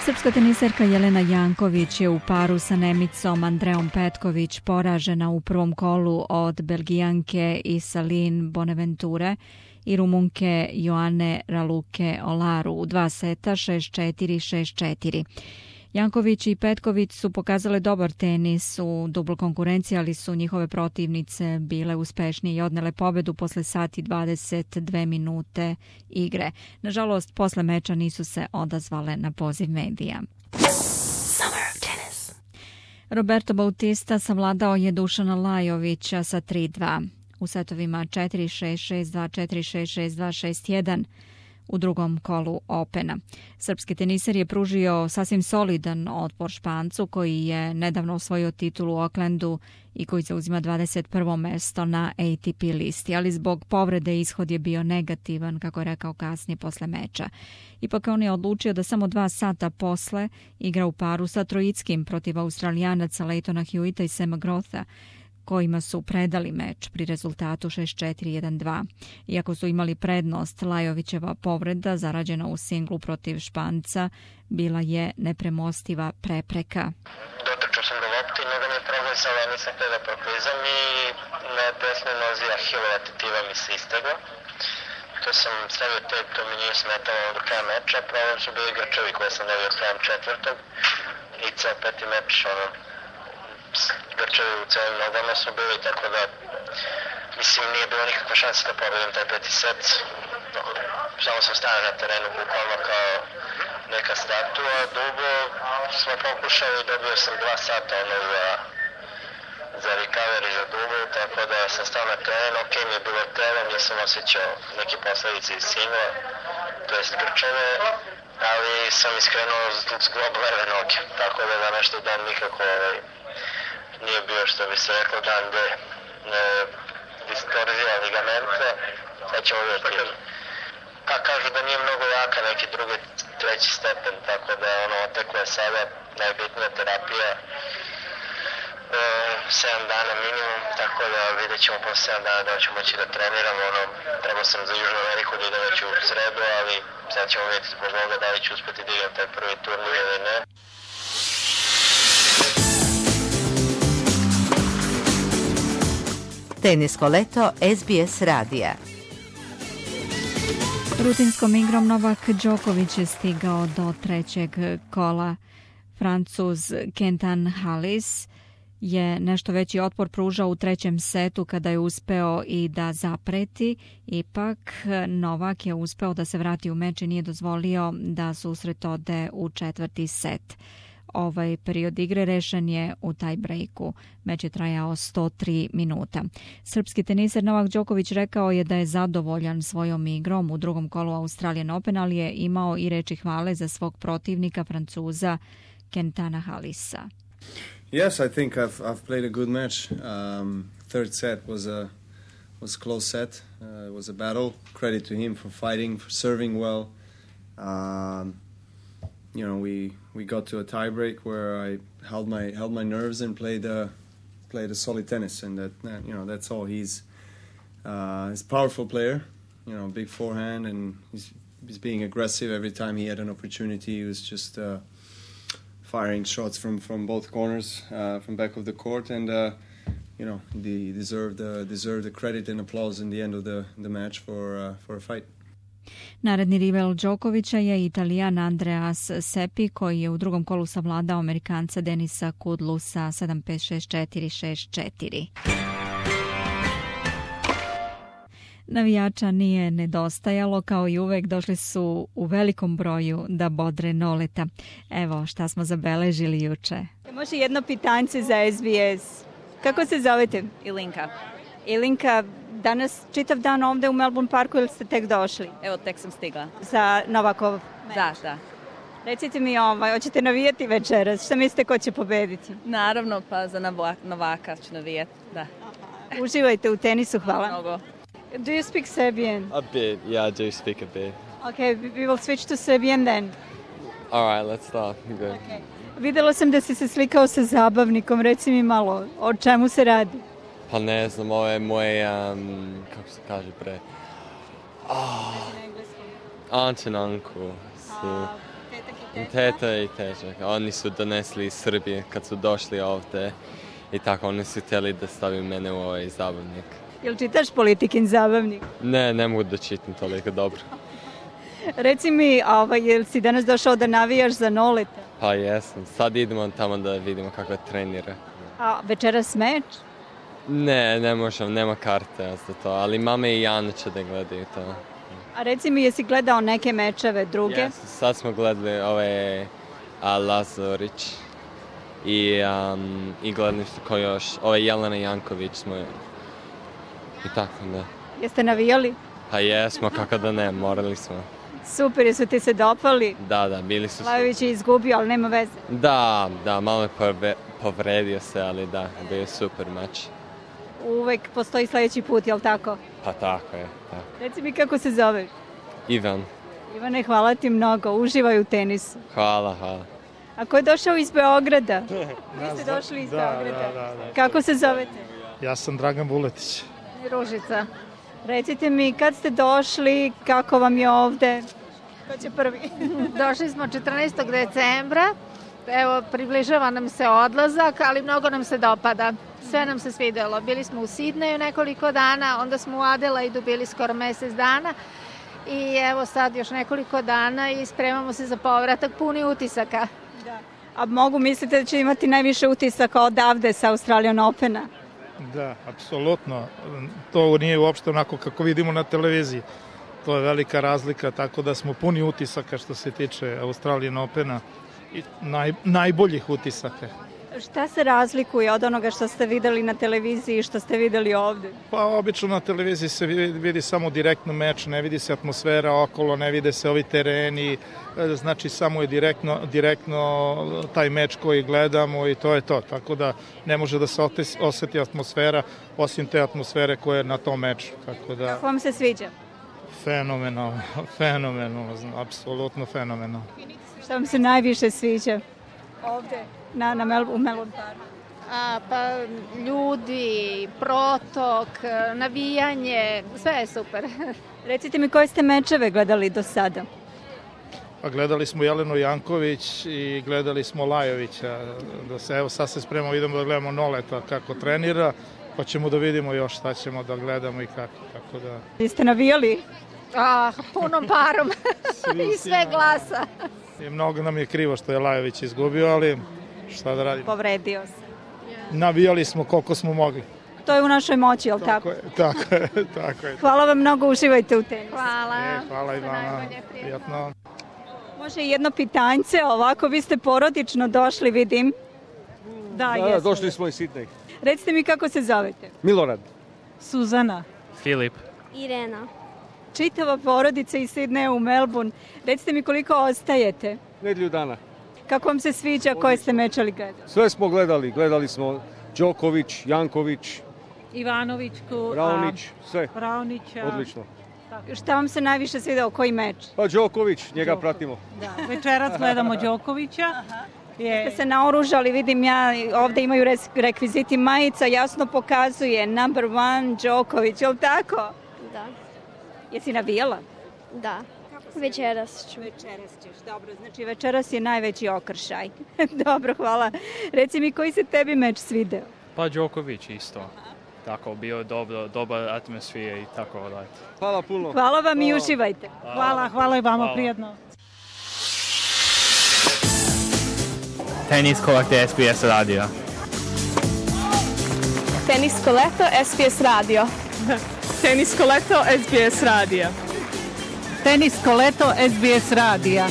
Srpska teniserka Jelena Janković je u paru sa Nemicom Andreom Petković poražena u prvom kolu od Belgijanke Isaline Bonaventure i Rumunke Joane Raluke Olaru u 2 seta 6-4, 6-4. Janković i Petković su pokazale dobar tenis u dubloj konkurenciji, ali su njihove protivnice bile uspešnije i odnele pobedu posle sat i 22 minute igre. Nažalost, posle meča nisu se odazvale na poziv medija. Roberto Bautista savladao je Dušana Lajovića sa 3-2. U setovima 4-6, 6-2, 4-6, 6-2, 6-1 u drugom kolu Opena. Srpski teniser je pružio sasvim solidan otpor Špancu koji je nedavno osvojio titulu u Aucklandu i koji zauzima 21. mesto na ATP listi, ali zbog povrede ishod je bio negativan, kako je rekao kasnije posle meča. Ipak on je odlučio da samo 2 sata posle igra u paru sa Trojickim protiv Australijanaca Leightona Hewita i Sama Grotha, kojima su predali meč pri rezultatu 6-4-1-2. Iako su imali prednost, Lajovićeva povreda, zarađena u singlu protiv Španca, bila je nepremostiva prepreka. Dotrčao sam do lopte i noga mi je proglizala, nisam htio da proklizam i na desnoj nozi Ahilova tetiva mi se istegla. To sam stavio tep, to mi nije smetalo do kraja meča. Problem su bili grčevi koje sam dobio krajem četvrtog i ceo peti meč, grčevi u celim nogama su bili, tako da mislim nije bilo nikakva šansa da pobedim taj peti set. Samo sam stavio na terenu bukvalno kao neka statua. Dugo smo pokušali i dobio sam 2 sata za recovery za dugo, tako da sam stao na teren. Ok mi je bilo telo, nisam osjećao neke posledice iz singla, to jest grčeve, ali sam iskrenuo zglob leve noge, tako da današnji dan nikako nije bio, što bi se reklo, dan gde distorzija ligamenta. Sad ćemo vidjeti. Pa kažu da nije mnogo jaka, neki drugi, treći stepen, tako da oteklo je sada najbitnija terapija. 7 dana minimum, tako da vidjet ćemo posle 7 dana da ćemo moći da treniramo. Trebao sam za Južnu Ameriku da idem već u sredu, ali sad ćemo vidjeti zbog ovoga da li ću uspeti da igram taj prvi turnir ili ne. Tenisko leto SBS radija. Rutinskom igrom Novak Đoković je stigao do trećeg kola. Francuz Quentin Halys je nešto veći otpor pružao u trećem setu kada je uspeo i da zapreti. Ipak Novak je uspeo da se vrati u meč i nije dozvolio da susret ode u četvrti set. Ovaj period igre rešen je u tie-breaku. Meč je trajao 103 minuta. Srpski teniser Novak Đoković rekao je da je zadovoljan svojom igrom u drugom kolu Australian Open, ali je imao i reči hvale za svog protivnika, Francuza Quentana Halisa. Yes, I think I've played a good match. Third set was a close set. It was a battle. Credit to him for fighting, for serving well. We got to a tiebreak where I held my nerves and played a solid tennis, and that's all. He's a powerful player, big forehand, and he's being aggressive every time he had an opportunity. He was just firing shots from both corners, from back of the court, and he deserved the credit and applause in the end of the match for a fight. Naredni rival Đokovića je Italijan Andreas Seppi, koji je u drugom kolu savladao Amerikanca Denisa Kudlu sa 7-5, 6-4, 6-4. Navijača nije nedostajalo, kao i uvek došli su u velikom broju da bodre Noleta. Evo šta smo zabeležili juče. Može jedno pitanje za SBS. Kako se zovete? Ilinka. Ilinka, danas čitav dan ovde u Melbourne Parku ili ste tek došli? Evo, tek sam stigla. Za Novakov meč? Da. Recite mi, hoćete navijati večeras? Šta mislite ko će pobediti? Naravno, pa za Novaka ću navijati, da. Uživajte u tenisu, hvala. Mnogo. Do you speak Serbian? A bit, yeah, I do speak a bit. Okay, we will switch to Serbian then. All right, let's start. Good. Okay. Videla sam da si se slikao sa zabavnikom, reci mi malo, o čemu se radi? Pa ne znam, ovo je moj, kako se kaže pre? Aunt and uncle. Tetak i Teta i težak. Oni su donesli iz Srbije kad su došli ovde i tako oni su htjeli da stavim mene u ovaj zabavnik. Jel čitaš Politikin zabavnik? Ne mogu da čitam toliko dobro. Reci mi, jel si danas došao da navijaš za Noleta? Pa jesam. Sad idemo tamo da vidimo kako trenira. A večeras meč? Ne možem, nema karte za to, ali mama i Jana će da gledaju to. A reci mi, jesi gledao neke mečeve druge? Yes, sad smo gledali ove Lazorić i gledali što ko još, ove Jelena Janković smo i tako, da. Jeste navijali? Pa jesmo, kako da ne, morali smo. Super, jesu ti se dopali? Da, bili su... Lajović je izgubio, ali nema veze. Da, malo je povredio se, ali da, bio je super mač. Uvek postoji sledeći put, jel tako? Pa tako je, tako. Reci mi kako se zoveš? Ivan. Ivane, hvala ti mnogo, uživaj u tenisu. Hvala. A ko je došao iz Beograda? Vi ste došli iz Beograda. Da. Kako se zovete? Ja sam Dragan Vuletić. Ružica. Recite mi, kad ste došli, kako vam je ovde? Ko će prvi? Došli smo 14. decembra. Evo, približava nam se odlazak, ali mnogo nam se dopada. Sve nam se svidelo. Bili smo u Sidneju nekoliko dana, onda smo u Adelaidu bili skoro mesec dana i evo sad još nekoliko dana i spremamo se za povratak puni utisaka. Da. A mogu mislite da će imati najviše utisaka odavde sa Australian Opena? Da, apsolutno. To nije uopšte onako kako vidimo na televiziji. To je velika razlika, tako da smo puni utisaka što se tiče Australian Opena i najboljih utisaka. Šta se razlikuje od onoga što ste videli na televiziji i što ste videli ovde? Pa obično na televiziji se vidi samo direktno meč, ne vidi se atmosfera okolo, ne vide se ovi tereni, znači samo je direktno taj meč koji gledamo i to je to. Tako da ne može da se oseti atmosfera osim te atmosfere koja je na tom meču. Tako da... Kako vam se sviđa? Fenomenalno, apsolutno fenomenalno. Šta vam se najviše sviđa ovde? U Melbourne Parku. Pa ljudi, protok, navijanje, sve je super. Recite mi koje ste mečeve gledali do sada? Pa gledali smo Jelenu Janković i gledali smo Lajovića. Evo sad se spremamo, idemo da gledamo Noleta kako trenira, pa ćemo da vidimo još šta ćemo da gledamo i kako. Tako da... Jeste navijali? Punom parom i sve glasa. I mnogo nam je krivo što je Lajović izgubio, ali šta da radimo? Povredio se. Navijali smo koliko smo mogli. To je u našoj moći, jel tako? Tako je. Hvala vam mnogo, uživajte u tenisu. Hvala i vama. Prijatno. Može jedno pitanjce, ovako vi ste porodično došli, vidim. Da, došli smo iz Sidneja. Recite mi kako se zovete? Milorad. Suzana. Filip. Irena. Čitava porodica iz Sidneja u Melbourne. Recite mi koliko ostajete? Nedelju dana. Kako vam se sviđa, koje ste mečali gledali? Sve smo gledali smo Đoković, Janković, Ivanovićku, Raonić, sve. Raonića. Odlično. Šta vam se najviše svidao, koji meč? Pa Đoković, njega pratimo. Da, večeras gledamo Đokovića. Ste se naoružali, vidim ja, ovde imaju rekviziti majica, jasno pokazuje number 1 Đoković, je li tako? Da. Jesi navijala? Da. Večeras ću. Večeras ćeš, dobro. Znači večeras je najveći okršaj. Dobro, hvala. Reci mi, koji se tebi meč svideo? Pa Đoković isto. Tako, bio je dobar atmosfera i tako dalje. Hvala puno. Hvala vam i uživajte. Hvala i vama, prijedno. Tenisko leto SBS radio. Tenisko leto SBS radio. Tenisko leto SBS radija. Tenisko leto SBS radija.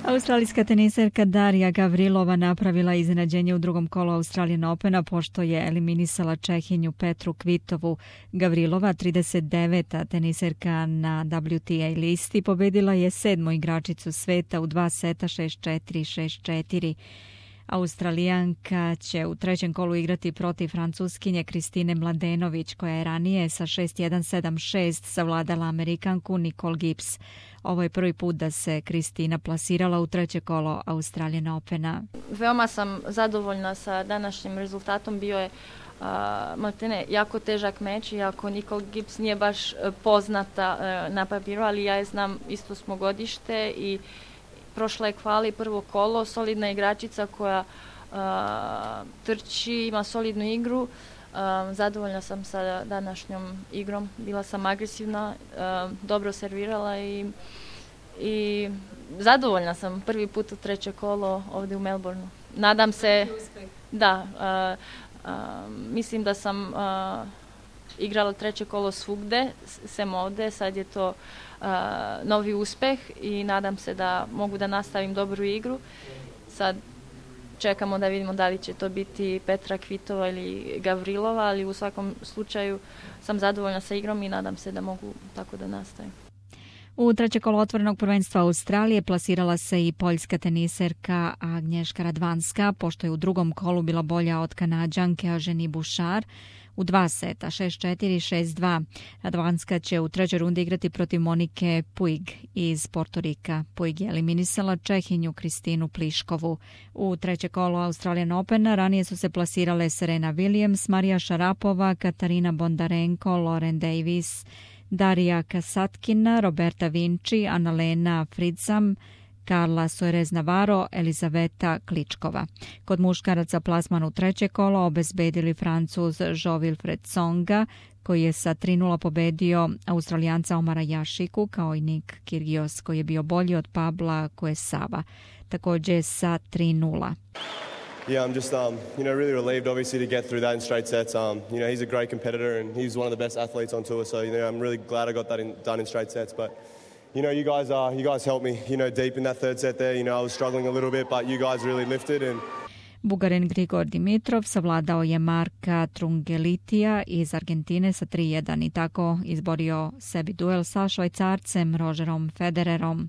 Australijska teniserka Darija Gavrilova napravila iznenađenje u drugom kolu Australian Opena pošto je eliminisala Čehinju Petru Kvitovu. Gavrilova, 39. teniserka na WTA listi, pobedila je 7. igračicu sveta u 2 seta 6-4, 6-4. Australijanka će u trećem kolu igrati protiv Francuskinje Kristine Mladenović, koja je ranije sa 6-1, 7-6 savladala Amerikanku Nicole Gibbs. Ovo je prvi put da se Kristina plasirala u treće kolo Australian Opena. Veoma sam zadovoljna sa današnjim rezultatom. Bio je maltene jako težak meč, iako Nicole Gibbs nije baš poznata na papiru, ali ja je znam, isto smo godište i prošla je kvali prvo kolo, solidna igračica koja trči, ima solidnu igru. Zadovoljna sam sa današnjom igrom, bila sam agresivna, dobro servirala i zadovoljna sam prvi put u treće kolo ovdje u Melbourneu. Nadam se, da, mislim da sam igrala treće kolo svugde, sem ovde, sad je to novi uspeh i nadam se da mogu da nastavim dobru igru. Sad čekamo da vidimo da li će to biti Petra Kvitova ili Gavrilova, ali u svakom slučaju sam zadovoljna sa igrom i nadam se da mogu tako da nastavim. U treće kolo otvorenog prvenstva Australije plasirala se i poljska teniserka Agnieszka Radwanska, pošto je u drugom kolu bila bolja od Kanađanke Eugenie Bouchard u 2 seta, 6-4, 6-2. Radwanska će u trećoj rundi igrati protiv Monike Puig iz Portorika. Puig je eliminisala Čehinju Kristinu Pliškovu. U treće kolo Australian Opena ranije su se plasirale Serena Williams, Marija Šarapova, Katarina Bondarenko, Lauren Davis, Darija Kasatkina, Roberta Vinci, Annalena Fritzam, Carla Soares Navarro, Elizaveta Kličkova. Kod muškaraca plasman u treće kolo obezbedili Francuz Jo-Wilfried Tsonga, koji je sa 3-0 pobedio Australijanca Omara Jašiku, kao i Nick Kyrgios, koji je bio bolji od Pabla Kuesava, također sa 3-0. Yeah, I'm just, really relieved, obviously, to get through that in straight sets. He's a great competitor and he's one of the best athletes on tour. So, I'm really glad I got that done in straight sets. But, you guys helped me, deep in that third set there. I was struggling a little bit, but you guys really lifted. And Bugarin Grigor Dimitrov savladao je Marka Trungelitija iz Argentine sa 3-1 i tako izborio sebi duel sa Švajcarcem Rogerom Federerom.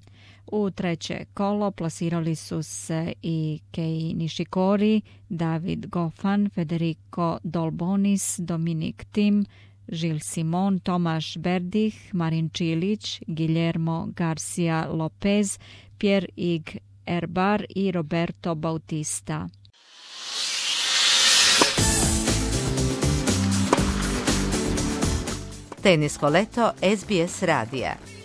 U treće kolo plasirali su se i Kei Nishikori, David Goffin, Federico Dolbonis, Dominik Thiem, Gilles Simon, Tomaš Berdych, Marin Čilić, Guillermo Garcia Lopez, Pierre-Yves Herbart i Roberto Bautista. Tenisko leto SBS radija.